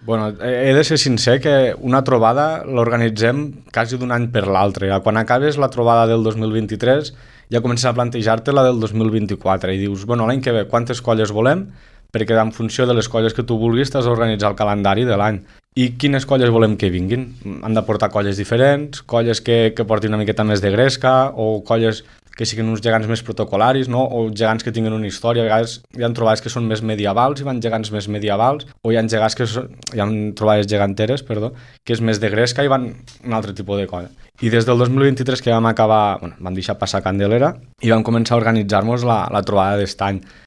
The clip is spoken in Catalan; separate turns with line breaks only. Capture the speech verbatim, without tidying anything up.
Bueno, he de ser sincer que una trobada l'organitzem quasi d'un any per l'altre. Quan acabes la trobada del dos mil vint-i-tres ja comences a plantejar-te la del dos mil vint-i-quatre i dius, bueno, l'any que ve quantes colles volem? Perquè en funció de les colles que tu vulguis t'has d'organitzar el calendari de l'any. I quines colles volem que vinguin? Han de portar colles diferents, colles que, que portin una miqueta més de gresca, o colles que siguin uns gegants més protocolaris, no? O gegants que tinguin una història. A vegades hi ha trobades que són més medievals i van gegants més medievals, o hi ha gegants que són, hi ha trobades geganteres, perdó, que és més de gresca i van un altre tipus de colla. I des del dos mil vint-i-tres que vam acabar, bueno, vam deixar passar Candelera i vam començar a organitzar-nos la, la trobada d'estany.